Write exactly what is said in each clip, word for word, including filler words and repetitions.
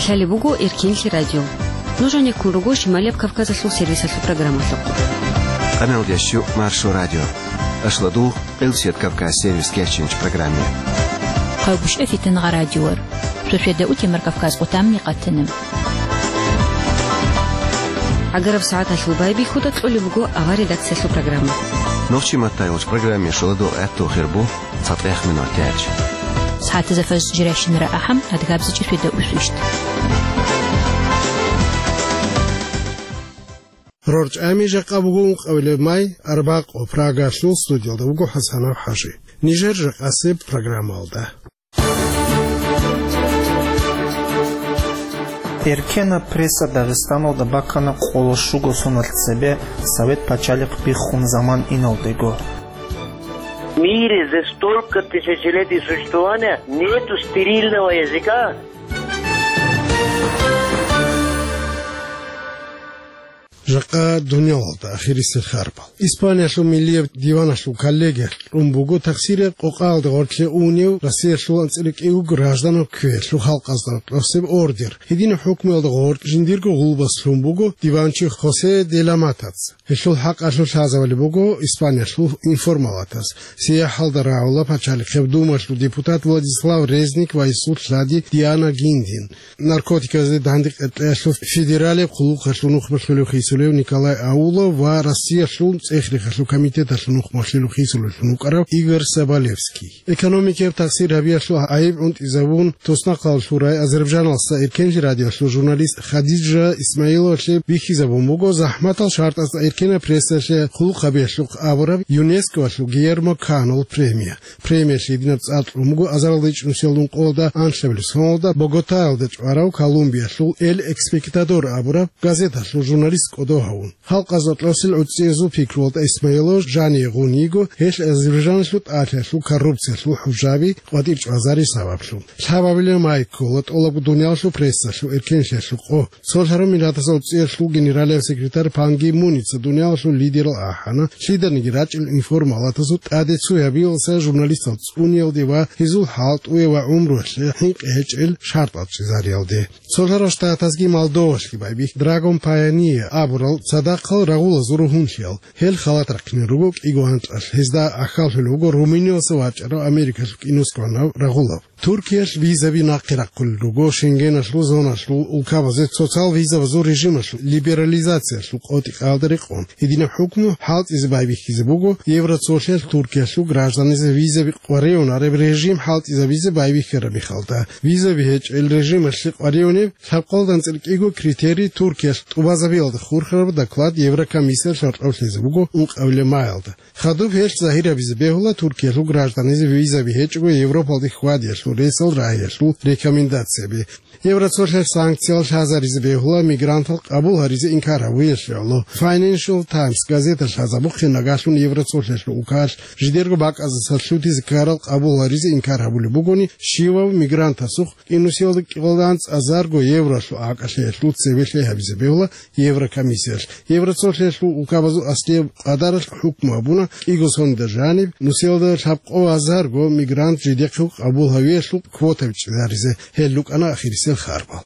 Лъалеб буго Эркенлъи радио. Нуж гьанеккун руго Шималияб Кавказалъул сервисалъул программалъухъ. Къаналдеш щу Маршо радио. Ашладул Къилсият Кавказ сервис кечинч программе. Хъавбушев Фитангъа радиор. Сосведа утемар Кавказ къутамни къатана. Агараб сагӀаталъул байбихьуда кьолеб буго авар редакциялъул программа. Нохчи маттайгъуч программе шоладул гӀатту хирбу цатӀех минут яч. СагӀатазда фаз жиращинара ахӀам, адгабзичи сосведа усвищт. РорчӀами жакъа буго ункъабилеб май, арбакъо, Прагалъул студиялда вуго ХӀасанов ХӀажи. Нижер жакъасеб программалда. Эркенаб пресса Дагъистаналда бакана къоло щуго соналъ цебе Совет пачалихъ биххун заман иналдего. В мире за столько тысячелетий существования нету стерильного языка. Жакъа дуниялалда ахирисел харбал. Испаниялъул миллияб диваналъул коллегиялъ кьун буго тахсираб къокъаялда гъоркье унев Россиялъул анцӀила кӀиго гражданав кквеялъул халкъазда кьосеб ордер. Гьединаб хӀукмуялда гъоркь жиндирго гъулбас лъун буго диванчи Хосе де ла Матаца. Гьелъул хӀакъалъулъ лъазабулеб буго Испаниялъул информалатас. СияхӀалда рагӀула пачалихъеб думалъул депутат Владислав Резник ва гьесул лъади Диана Гиндин. Наркотиказде дандекъеялъул федералияб хъулухъалъул нухмалъулев хисулев Николай Аулов ва Россиялъул цӀех-рехалъул комитеталъул нухмалъулев хисулевлъун вукӀарав Игорь Соболевский. Экономикияб тахсир гьабиялъул гӀайиб гӀунтӀизабун, туснахъалалъул рай Азербайджаналъа Эркенлъи радиоялъул журналист Хадижа Исмаиловалъе бихьизабун буго захӀматал шартӀазда эркенаб прессалъе хъулухъ гьабиялъухъ абураб ЮНЕСКОялъул Гийермо Канол премия. Премиялъ гьединаб цӀар кьун буго азарилда ичӀнусиялда ункъоялда анлъабилеб соналда Боготаялда чӀварав Колумбиялъул Эль Экспектадор абураб газеталъул журналист кӀодо гьавун. Халкъазда кьосел гӀуцӀиязул пикруялда Исмаилов жаниве гъун йиго, гьелъ Азербайджаналъул тӀалъиялъул коррупциялъул хӀужаби къватӀир чӀвазари сабаблъун. Лъабабилеб май ккола тӀолабго дуниялалъул прессалъул эркенлъиялъул къо. Цолъараб Миллатасул ГӀуцӀиялъул генералияб секретарь Пан Ги Муница дуниялалъул лидерал ахӀана, лъиданиги рачӀел информалатасул тӀаде цуябиялдаса журналистал цӀуниялде ва гьезул хӀалтӀуе ва гӀумруялъе хӀинкъи гьечӀел шартӀал чӀезариялде. Цолъарал Штатазги Молдовалъги байбихь Драгон Пайония абурал цадахъал рагъулазул ругьунлъиял. Гьел халат рахъине руго кӀиго анкьалъ, гьезда ахьаллъулеб буго Румыниялъа вачӀарав Америкалъул кӀинусгӀанав рагъулав. Туркиялъ визаби нахъе рахъулел руго Шенгеналъул зоналъул улкабазе социал визабазул режималъул либерализациялъул къотӀи-къаялда рекъон. Гьединаб хӀукму хӀалтӀизе байбихьизе буго Евроцолъиялъ Туркиялъул гражданизе визаби къваригӀунареб режим хӀалтӀизабизе байбихьараб мехалда. Визаби гьечӀел режималъе къваригӀунеб лъабкъоялда анцӀила кӀиго критерий Туркиялъ тӀубазабиялда хурхараб доклад Еврокомиссиялъ гьоркьоб лъезе буго ункъабилеб маялда. Хадуб гьелъ загьир гьабизе бегьула Туркиялъул гражданизе визаби гьечӀого Европалде хьвадиялъул ресал рагьиялъул рекомендацияби. Евроцолъиялъ санкциял лъазаризе бегьула мигрантал къабул гьаризе инкар гьабуялъе гӀоло. Financial Times газета лъазабухъе, нагагьлъун Евроцолъиялъул улкаялъ жидерго бакӀаздаса лъутизе ккарал къабул гьаризе инкар гьабулеб бугони, щивав мигрантасухъ кӀинусиялда кӀикъоялда анцӀ азарго евролъул акӀалъиялъул цебе лъай гьабизе бегьула Еврокомиссиялъ. Евроцолъиялъул улкабазул аслияб къадаралъ хӀукму гьабуна, кӀиго соналда жаниб нусиялда лъабкъо азарго мигрант жидехъе къабул гьавиялъул квотаби чӀезаризе. Гьел рукӀана ахирисел харбал.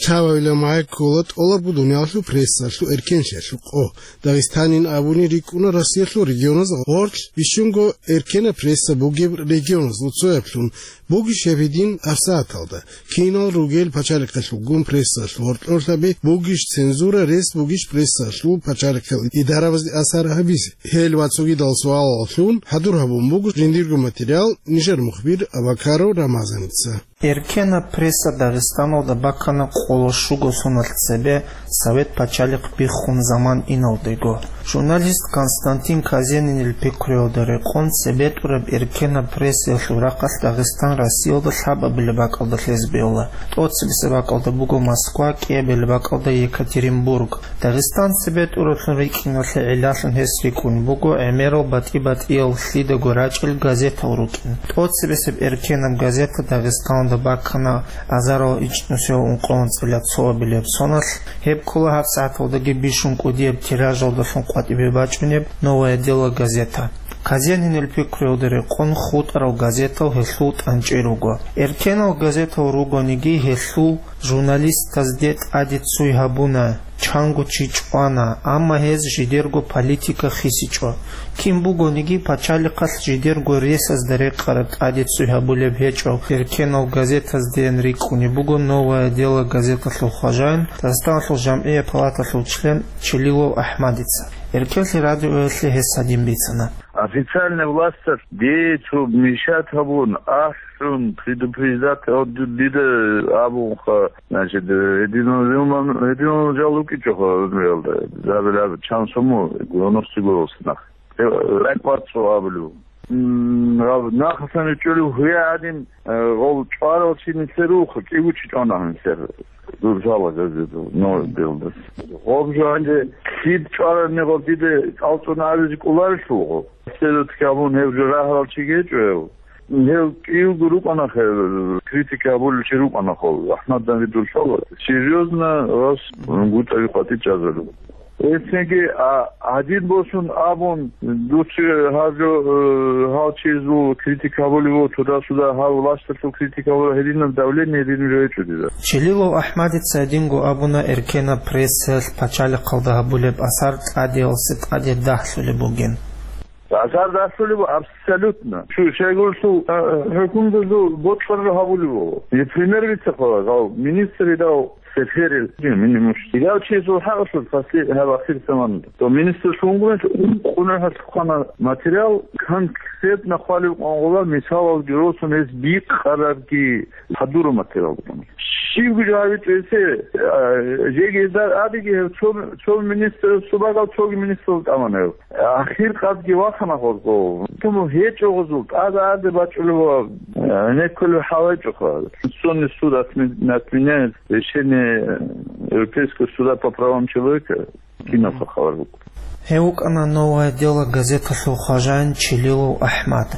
Лъабабилеб май ккола тӀолабго дуниялалъул прессалъул эркенлъиялъул къо. Дагъистанин абуни рикӀкӀуна Россиялъул регионаз гъорлъ бищунго эркенаб пресса бугеб регионазул цояблъун, бугищ гьеб гьедин гьабсагӀаталда. Кинал ругел пачалихъалъулгун прессалъул гьоркьорлъаби, бугищ цензура, рес бугищ прессалъул пачалихъал идарабазде асар гьабизе? Гьел ва цогидал суалаллъун хӀадур гьабун буго жиндирго материал нижер мухбир Абакаров Рамазаница. Эркенаб пресса Дагъистаналда бакана къоло щуго соналъ цебе Совет пачалихъ биххун заман иналдего. Журналист Константин Казенинил пикруялда рекъон, цебетӀураб эркенаб прессаялъул рахъалъ Дагъистан Россиялда лъабабилеб бакӀалда лъезе бегьула. ТӀоцебесеб бакӀалда буго Москва, кӀиабилеб бакӀалда Екатеринбург. Дагъистан цебетӀураблъун рикӀкӀиналъе гӀиллалъун гьес рикӀкӀун буго гӀемерал батӀи-батӀиял лъидаго рачӀел газетал рукӀин. ТӀоцебесеб эркенаб газета Дагъистаналда баккана азарал ичӀнусиял ункъоялда цоабилеб соналъ, гьеб ккола гьабсагӀаталдаги бищун кӀудияб тиражалдалъун къватӀибе бачӀунеб «Новое дело» газета. Казенинил пикруялда рекъон, хутӀарал газетал гьелъул тӀанчӀи руго. Эркенал газетал ругониги, гьелъул журналистазде тӀаде ццуй гьабуна, чанго чи чӀвана, амма гьез жидерго политика хисичӀо. Кин бугониги, пачалихъалъ жидерго ресазда рекъараб тӀаде ццуй гьабулеб гьечӀо. Эркенал газетаздейин рикӀкӀунеб буго «Новое дело» газеталъул хважаин, Дагъистаналъул жамгӀияб палаталъул член Челилов АхӀмадица. Эркенлъи радиоялъе гьес гьадин бицана. Официальный власталъ децо мешать гьабун, ахӀун, предупреждать гьабун, дида абунха, значит, гьединал, гьединал жал рукӀичӀоха гӀумруялда, забилаб чан суму, девяностый гурулса нах. Э, ракӀбацӀцӀо абулев. М, гьаб нахалъан ричӀчӀулев гьуя гӀадин, э, гъов чӀварал чи нилъер руха, кӀиго чи чӀвана гьансер. Дур жала газетал, но, белдас. Гъоб жо гьанже лъид чӀварабни гъоб дида цӀалцӀун абизе кӀоларелъул гъо. Следователь абун гьев жо рагьарал чи гьечӀо гьев. Гьев кӀиявго рукӀана хе, критика гьабулел чи рукӀана хо, АхӀмад Давидул лъала. Серьёзно вас гутӀави къватӀи чӀазару. Эсенги, а, гьадин босун абун, дуца гьаб жо, э, гьал чизул критика гьабулев, туда-сюда гьав власталъул критика гьабулев, гьединаб давление гьедин жо гьечӀо дида. Челилов АхӀмадица гьединго абуна эркенаб прессаялъ пачалихъалда гьабулеб асар тӀадиялъе тӀаде дагьлъулеб бугин. Асар дагьлъулеб абсолютно. Шу-, щайгурелъул, а, хӀукумдазул бокьараб гьабулеб буго. Е, пример бицахъала, гьав министр идал Сеферил, минимум. Идал чиясул хӀакъалъулъ пасли гьаб ахир заманда. То министр шунгурелъ ункъуна хӀалхъана материал, конкретно хъвалев къвангъула мисалалги росун гьез бикъарабги гьадураб материал букӀана. Щибги жо гьавичӀо гьесе, а, жеги гьезда абиги гьев цо, цо министр, цо багал цоги министрал тӀамана гьев. Ахир къадги вахана гъозго. Туму гьечӀо гъозул, тӀада-аде бачӀулев ва, э, гьенеккулев хӀалайчӀоха. Конституционный суд отме-, отменяет решение Европейского суда по правам человека. Киналха хабар букӀун. Гьев вукӀана «Новое дело» газеталъул хважаин Челилов АхӀмад.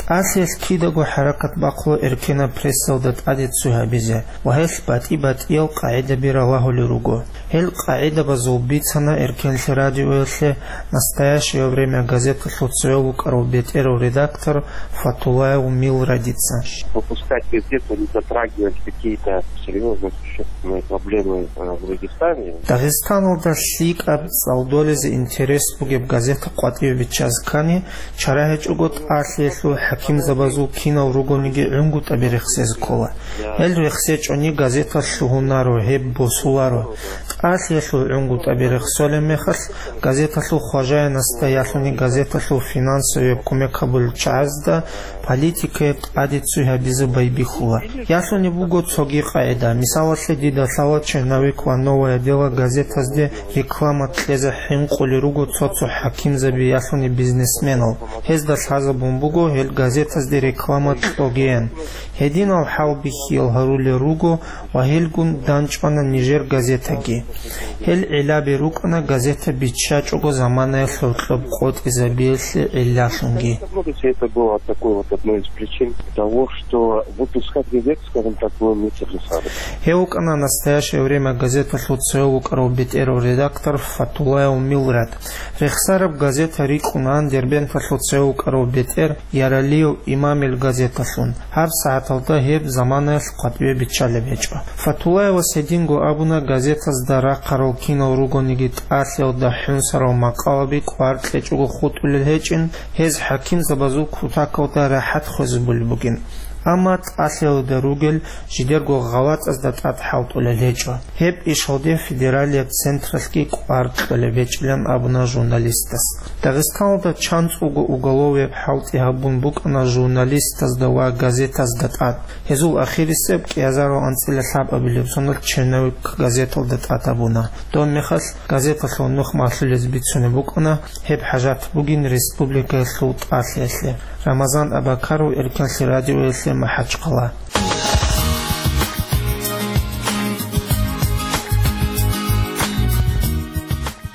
ТӀалъиялъ кидаго хӀаракат бахъула эркенаб прессалда тӀаде ццуй гьабизе ва гьелъ батӀи-батӀиял къагӀидаби ралагьулел руго. Гьел къагӀидабазул бицана Эркенлъи радиоялъе «Настоящее время» газеталъул цояв вукӀарав бетӀерав редактор Фатулаев Милрадица. Выпускать газету, не затрагивать какие-то серьёзные, существенные проблемы, э, в Дагестане. Дагъистаналда лъикӀаб, цӀалдолезе интерес бугеб газета къватӀиве биччазе ккани, чара гьечӀого тӀалъиялъул хӀакимзабазул кинал ругониги гӀунгутӀаби рехсезе ккола. Гьел рехсечӀони газета лъугьунаро, гьеб босуларо. ТӀалъиялъул гӀунгутӀаби рехсолеб мехалъ, газеталъул хважаинасда ялъуни газеталъул финансовияб кумек гьабулел чагӀазда политикаяб тӀаде ццуй гьабизе байбихьула. Ялъуни буго цоги къагӀида. Мисалалъе, дида лъала «Черновик» ва «Новое дело» газетазде реклама кьезе хӀинкъулел руго цо-цо хӀакимзаби, ялъуни бизнесменал. Гьезда лъазабун буго гьел газетазде реклама кьогеян. Гьединал хӀалбихьиял гьарулел руго ва гьелгун данчӀвана нижер газетаги. Гьел гӀиллаби рукӀана газета биччачӀого заманаялъ гьоркьоб къотӀизабиялъе гӀиллалъунги. Все это было такой вот одной из причин того, что выпускать газету, скажем так, было нецелесообразно. Гьев вукӀана «Настоящее время» газеталъул цояв вукӀарав бетӀерав редактор Фатулаев Милрад. Рехсараб газета рикӀкӀунаан Дербенталъул цояв вукӀарав бетӀер Яралиев Имамил газеталъун. ГьабсагӀаталда гьеб заманаялъ къватӀибе биччалеб гьечӀо. Фатулаевас гьединго абуна, газетазда рахъарал кинал ругониги тӀалъиялда хӀунсарал макъалаби кӀвар кьечӀого хутӀулел гьечӀин, гьез хӀакимзабазул кутакалда рахӀат хвезабулеб бугин. Амма тӀалъиялда ругел жидерго гъалатӀазда тӀад хӀалтӀулел гьечӀо. Гьеб ишалде федералияб централъги кӀвар кьолеб гьечӀилан абуна журналистас. Дагъистаналда чанцӀулго уголовияб хӀалтӀи гьабун букӀана журналистазда ва газетазда тӀад. Гьезул ахирисеб кӀиазарал анцӀила лъабабилеб соналъ «Черновик» газеталда тӀад гьабуна. Доб мехалъ газеталъул нух малъулез бицунеб букӀана гьеб хӀажат бугин республикаялъул тӀалъиялъе. Рамазан Абакаров, Эркенлъи радиоялъе, МахӀачхъала.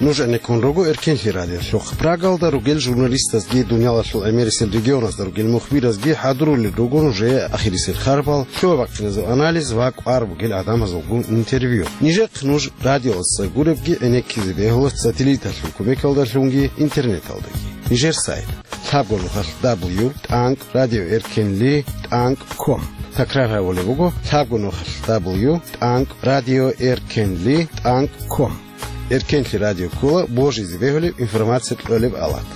Нуж гӀенеккун руго Эркенлъи радиолъухъ. Прагалда ругел журналистазги, дуниялалъул гӀемерисел регионазда ругел мухбиразги хӀадурулел руго нужее ахирисел харпал, лъугьа-бахъиназул анализ ва кӀвар бугел гӀадамазулгун интервью. Нижехъ нуж радиоялдаса гуребги гӀенеккизе бегьула сателлиталъул кумекалдалъунги интернеталдаги. Нижер сайт: лъабго нухалъ дабл ю тӀанкӀ радио эркенли тӀанкӀ ком. Такрар гьабулеб буго: лъабго нухалъ дабл ю тӀанкӀ радио эркенли тӀанкӀ ком. Эркенлъи радио ккола божизе бегьулеб информация кьолеб алат.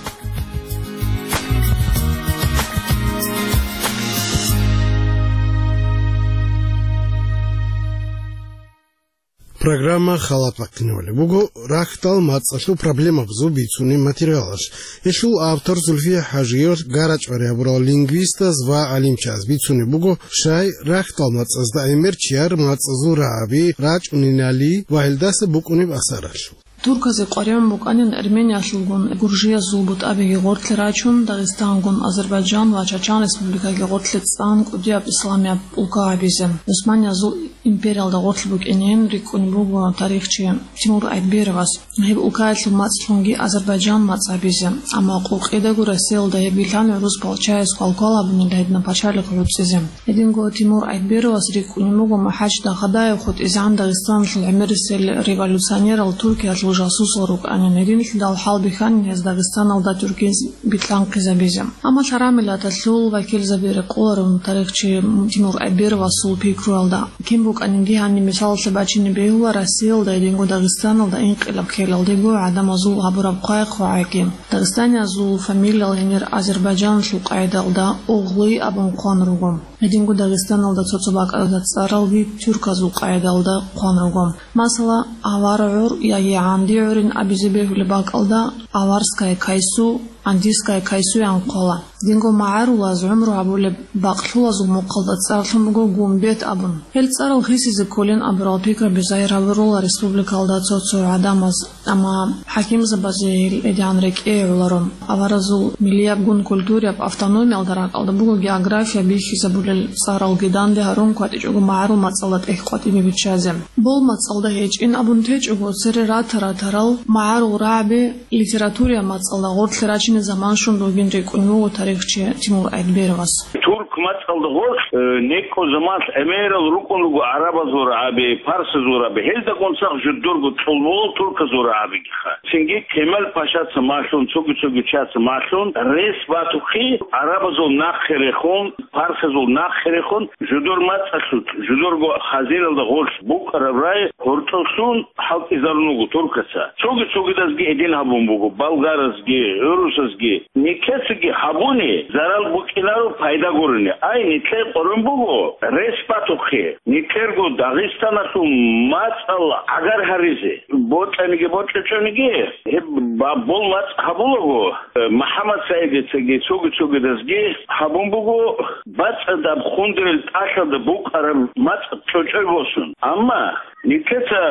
Программа халатаб бахъинабулеб буго рахьдал мацӀалъул проблемабазул бицунеб материалалъ. Гьелъул автор Зульфия ХӀажиевалъ гарачӀвари гьабурал лингвистаз ва гӀалимчияз бицунеб буго щай рахьдал мацӀазда гӀемер чияр мацӀазул рагӀаби, рачӀунелали ва гьелдаса букӀунеб асаралъул. Турказе къваригӀун букӀанин Армениялъулгун гуржиязул бутӀабиги гъорлъе рачун, Дагъистангун, Азербайджан ва Чачан республикаги гъорлъе цӀан кӀудияб исламияб улка гьабизе. Гьусманиязул империялда гъорлъ букӀинин рикӀкӀунеб буго тарихчи Тимур Айтберовас гьеб улкаялъул мацӀлъунги Азербайджан мацӀ гьабизе, амма къокъидаго Россиялда гьеб билан гӀурус палчаяс квалквал гьабунила гьединаб пачалихъ гӀуцӀизе. Гьединго Тимур Айтберовас рикӀкӀунеб буго МахӀач Дахадаев хутӀизегӀан Дагъистаналъул гӀемерисел революционерал Туркиялъул жасусал рукӀанин, гьединлъидал хӀалбихьанин гьез Дагъистаналда тюркез билъанхъизабизе. Амма лъарамилаталъул вакилзаби рекъоларун тарихчи Тимур Айтберовасул пикруялда. Кин букӀанинги гьаниб мисалалъе бачине бегьула Россиялда гьединго Дагъистаналда инкъилаб ккелалдего гӀадамазул гьабураб хъвай-хъвагӀайги. Дагъистаниязул фамилиял гьенир Азербайджаналъул къайдалда Оглы абун хъван руго. Гьединго Дагъистаналда цо-цо бакӀалда цӀаралги тюрказул къайдалда хъван руго. Масала, авар гӀур яги гӀанди гӀурин абизе бегьулеб бакӀалда аварская кайсу, андийская кайсу ян хъвала. Динго магӀарулаз гӀумру гьабулеб бакълъулазул мухъалда цӀарлъун буго гумбет абун. Гьел цӀарал хисизе кколин абурал пикраби загьир гьабурула республикалда цо-цо гӀадамаз, амма хӀакимзабазе гьел гьедигӀан рекӀее гӀоларо. Аваразул миллиябгун культурияб автономиялда ракӀалда буго география бихьизабулел цӀаралги данде гьарун кватӀичӀого магӀарул мацӀалда тӀехь къватӀибе биччазе. Бол мацӀалда гьечӀин абун течӀого, цере рата-ратарал магӀарул рагӀаби литературияб мацӀалда гъорлъе рачине заман щун ругин рикӀкӀунев вуго тарихчи Тимур Айтберовас. Турк мацӀалда гъорлъ, э, некӀо заманалъ гӀемерал рукӀун руго гӀарабазул рагӀаби, парсазул рагӀаби. Гьелдагун цадахъ жудурго чӀолболал турказул рагӀабигиха. Цинги Кемал Пашаца малъун, цоги-цоги чияца малъун, рес батухъе гӀарабазул нахъе рехун, парсазул нахъе рехун, жудур мацӀалъулъ, жудурго хазиналда гъорлъ букӀараб рагӀи гьоркьоблъун хӀалтӀизарун вуго туркаца. Цоги-цогидазги гьедин гьабун буго, болгаразги, гӀурусазги. Нилъецаги гьабуни зарал букӀинаро пайда гурони. Ай, нилъее къорун буго рес батухъе. Нилъерго Дагъистаналъул мацӀал гӀагар гьаризе. Бокьаниги бокьичӀониги, гьеб ба-, бол мацӀ гьабулаго, э, МухӀаммад СагӀидицаги цоги-цогидазги гьабун буго бацӀцӀадаб хундерил тӀалъалда букӀараб мацӀ чӀочӀой босун. Амма нилъеца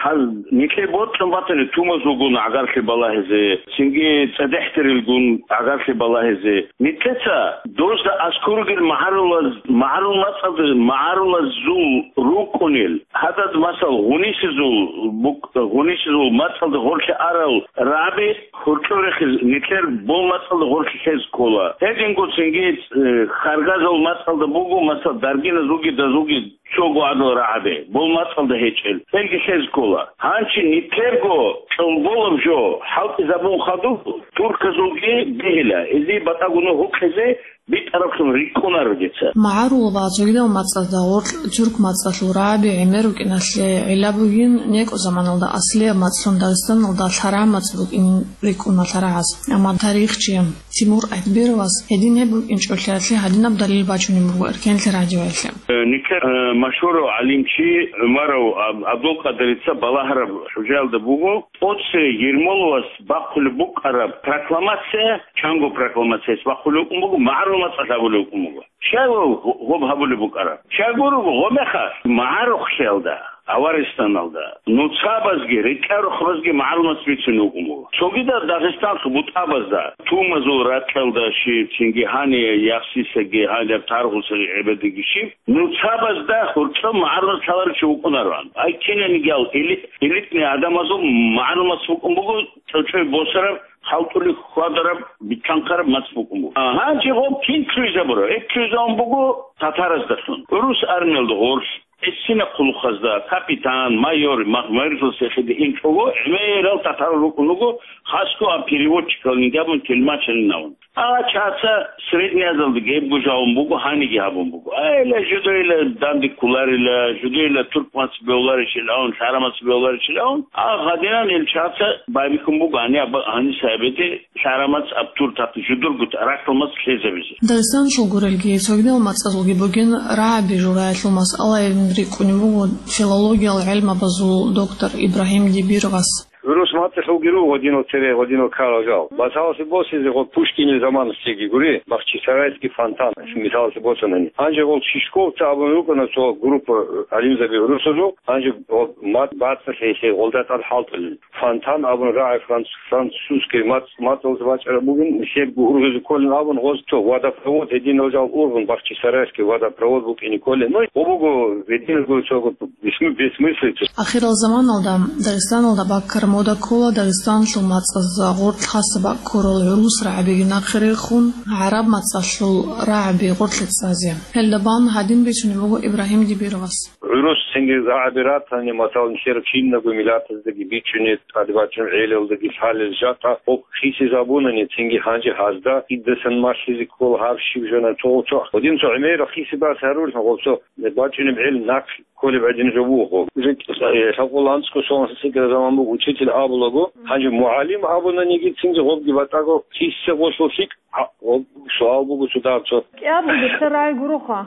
гьал-, нилъее бокьун батани тумазулгун гӀагарлъи балагьизе, цинги цӀадехӀдерилгун гӀагарлъи балагьизе. Нилъеца дозда аскӀор ругел магӀарулаз-, магӀарул мацӀалда магӀарулазул рукӀунел, гьадаз, масал, гъунисезул бук-, гъунисезул мацӀалда гъорлъе арал рагӀаби гьоркьор рехизе нилъер бол мацӀалда гъорлъе лъезе ккола. Гьединго цинги, э, харгазул мацӀалда буго, масал, даргиназулги дазулги цого гӀадал рагӀаби, бол мацӀалда гьечӀел, гьелги лъезе ккола. Гьанже нилъерго чӀолболаб жо хӀалтӀизабун хадуб, турказулги бегьила, гьезие батӀа-гунагь гьукъизе, битӀараблъун рикӀкӀунаро дица. МагӀарул ва цогидал мацӀазда гъоркь тюрк мацӀалъул рагӀаби гӀемер рукӀиналъе гӀилла бугин, некӀо заманалда аслияб мацӀлъун Дагъистаналда лъарагӀ мацӀ букӀинин рикӀкӀуна лъарагӀаз. Амма тарихчи Тимур Айтбировас гьедин гьеб букӀинчӀолъиялъе гьадинаб далил бачунеб буго Эркенлъи радиоялъе. Э, нилъер, э, машгьурав гӀалимчи ГӀумаров Аб-, Абдулкъадирица балагьараб хӀужаялда буго, Оце Ермоловас бахъулеб букӀараб прокламация, чанго прокламацияс бахъулеб букӀун буго, магӀарул мацӀалъ гьабулеб букӀун буго. Щай гъо-, гъоб гьабулеб букӀараб? Щай гурого, гъомехалъ магӀарухълъиялда, Аваристаналда, нуцабазги, рекӀарухъабазги магӀарул мацӀ бицунеб букӀун буго. Цогидал Дагъистаналъул бутӀабазда, Тумазул ракьалда щиб, цинги гьаниб Яхсисаги, гьаниб Таргъусаги гӀебедиги щиб, нуцабазда гьоркьоб магӀарул мацӀ лъаларев чи вукӀунароан. Ай кинаниги ал эли-, элитный гӀадамазул магӀарул мацӀ букӀун буго, чӀочӀой босараб, халтӀулеб хьвадараб, битӀанхъараб мацӀ букӀун буго. А гьанже гъоб кин лъугӀизабураб? Гьеб лъугӀизабун буго татараздалъун. ГӀурус армиялда гъорлъ, гӀисина хъулухъазда, капитан, майор, мах-, майорлъун сехиде инчӀого, гӀемерал татар рукӀун руго, хасго а переводчикалниги абун, телмачалин абун. А чаца Средняя Азиялда гьебго жавун буго, гьаниги гьабун буго. Айла, жидейила данде кколарила, жидейила турк мацӀ бегьуларищилан, лъара мацӀ бегьуларищилан, а гьадинан ил чаца байбихьун буго, гьани аб-, гьаниса абеде лъара мацӀ аб тур тахъи жидерго ракьал мацӀ лъезабизе. Дагъистаналъул гурелги, цогидал мацӀазулги бугин рагӀаби жураялъул масъалаялъун рикӀкӀунеб буго филологиял гӀелмабазул доктор Ибрагьим Дибировас. ГӀурус мацӀалъулги руго гьадинал цере, гьадинал ккарал жал. Масалалъе босизе гъо Пушкинил заманалъеги гури, Бахчисарайский фонтан, мисалалъе босанани. Гьанже гъол Чижковцы абун рукӀана цо группа гӀалимзаби гӀурусазул, гьанже гъо мацӀ бацӀцӀалъе гьелъе гъолда тӀад хӀалтӀулел. Фонтан абун рагӀи франц-, французский мацӀ, мацӀалъ бачӀараб бугин, нилъерго ургъизе кколин абун гъоз цо водопровод гьединал жал ургъун, Бахчисарайский водопровод букӀине кколин. Ну, гъо буго гьединал гури цо гъо бесмы-, бессмыслица. Ахирал заманалда Дагъистаналда баккараб мода ккола Дагъистаналъул мацӀазда гъоркь хасаб бакӀ ккурал гӀурус рагӀабиги нахъе рехун, гӀараб мацӀалъул рагӀаби гъоркье цӀазе. Гьелда бан гьадин бицунеб буго Ибрагьим Дибировас. ГӀурус цинги рагӀаби ратани, масалан, нилъер кинабго миллатаздаги бичӀчӀунеб, тӀаде бачӀунеб гӀелалдаги лъалел жакъа гъоб хисизабунани, цинги гьанже гьазда кидасан малъизе ккола гьаб щиб жана цо-, цо-, гьадин цо гӀемерал хисибас гьарулъун гъоб цо бачӀунеб гӀел нахъ кколеб гӀадин жо буго. Уже, э, лъабкъо ланцӀго сон сикӀкӀараб заман буго, учитель абулаго, гьанже мугӀалим абунаниги цинги гъобги батӀаго киссе гъолъул лъикӀ, а, гъоб суал буго цо дагьаб цо. КӀиябго нилъер рагӀи гуроха.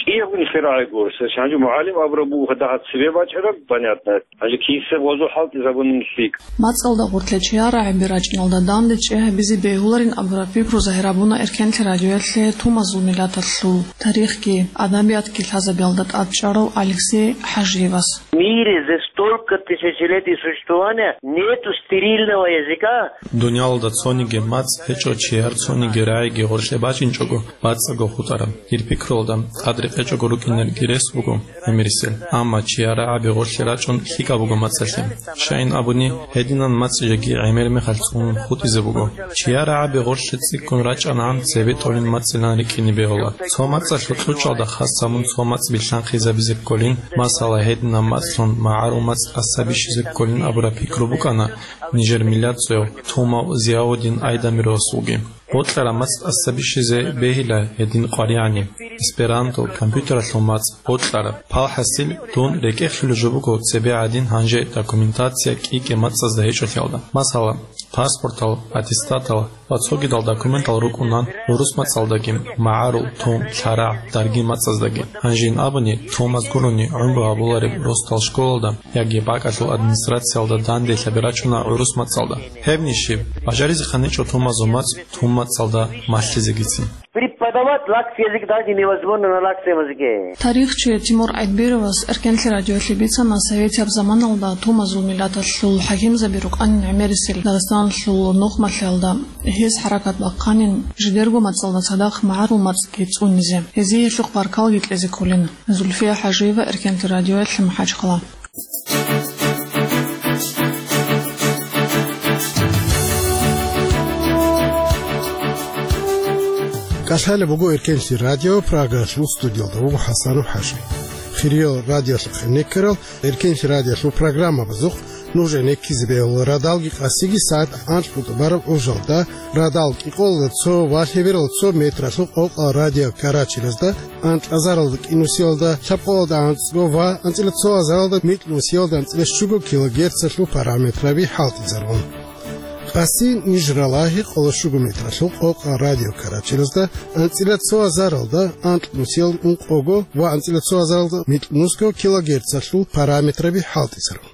КӀиябго нилъер рагӀи гуро. Гьанже мугӀалим абураб буго дагьаб цебе бачӀараб, понятно. Гьанже киссе гъозул хӀалтӀизабунин лъикӀ. МацӀалда гъоркье чияр рагӀаби рачӀиналда данде чӀей гьабизе бегьуларин абураб пикру загьир гьабуна Эркенлъи радиоялъе тумазул миллаталъул тарихги, адабиятги лъазабиялда тӀадчӀарав Алексей ХӀажиевас. В мире за столько тысячелетий существования нету стерильного языка. Дуниялалда цониги мацӀ гьечӀо чияр цониги рагӀиги гъоркье бачӀинчӀого бацӀцӀаго хутӀараб. Дир пикруялда, тӀад рекъечӀого рукӀинарги рес буго гӀемерисел, амма чияр рагӀаби гъоркье рачӀун лъикӀаб буго мацӀалъе. Щайин абуни, гьединан мацӀ жеги гӀемер мехалъ цӀунун хутӀизе буго. Чияр рагӀаби гъоркье цӀикӀкӀун рачӀанагӀан цебетӀолин мацӀилан рикӀкӀине бегьула. Цо мацӀалъул кьучӀалда хас гьабун цо мацӀ билълъанхъизабизе кколин, масала, гьединаб мацӀлъун магӀарул мацӀ тӀаса бищизе кколин абураб пикру букӀана нижер миллатцояв тумав Зияудин Айдамировасулги. Бокьараб мацӀ тӀаса бищизе бегьила гьедин къваригӀани, эсперанто, компьютералъул мацӀ бокьараб. Палхасил дун рекӀехъулеб жо буго цебе гӀадин гьанже документация кӀи-кӀи мацӀазда гьечӀолъиялда. Масала, паспортал, аттестатал ва цогидал документал рукӀунан гӀурус мацӀалдаги, магӀарул, тум, лъарагӀ, дарги мацӀаздаги. Гьанжин абуни, тумаз гурони гӀумру гьабулареб росдал школалда яги бакӀалъул администрациялда данделъаби рачӀуна гӀурус мацӀалда. Гьебни щиб, бажаризехъан гьечӀо тумазул мацӀ тум мацӀалда малъизегицин. Преподавать лакский язык даже невозможно на лакском языке. Тарихчи Тимур Айтбировас Эркенлъи радиоялъе бицана советияб заманалда тумазул миллаталъул хӀакимзаби рукӀанин гӀемерисел Дагъистаналъул нухмалъиялда. Гьез хӀаракат бахъанин жидерго мацӀалда цадахъ магӀарул мацӀги цӀунизе. Гьезие гьелъухъ баркалги кьезе кколин. Зульфия ХӀажиева, Эркенлъи радиоялъе, МахӀачхъала. КӀалъалеб буго Эркенлъи радио, Прагалъул студиялда вуго ХӀасанов ХӀажи. Хириял радиолъухъ гӀенеккарал Эркенлъи радиолъул программабазухъ Нуж гӀенеккизе бегьула радалги къасиги сагӀат анкьго тӀубараб гӀужалда, радал кӀикъоялда цо ва лъебералда цо метралъул къокъал радио карачелазда, анкьазаралда кӀинусиялда лъабкъоялда анцӀго ва анцӀила цо азаралда микьнусиялда анцӀила щуго килогерцалъул параметраби хӀалтӀизарун. Къаси ниж ралагьи къоло щуго метралъул къокъал радио карачелазда, анцӀила цо азаралда анкьнусиялда ункъого ва анцӀила цо азаралда микьнусго килогерцалъул параметраби хӀалтӀизарун.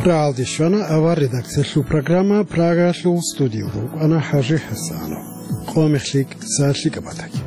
Рагьалде щвана авар редакциялъул программа, Прагалъул студиялда вукӀана ХӀажи ХӀасанов. Къо мехлъи киса лъикӀаб батаги.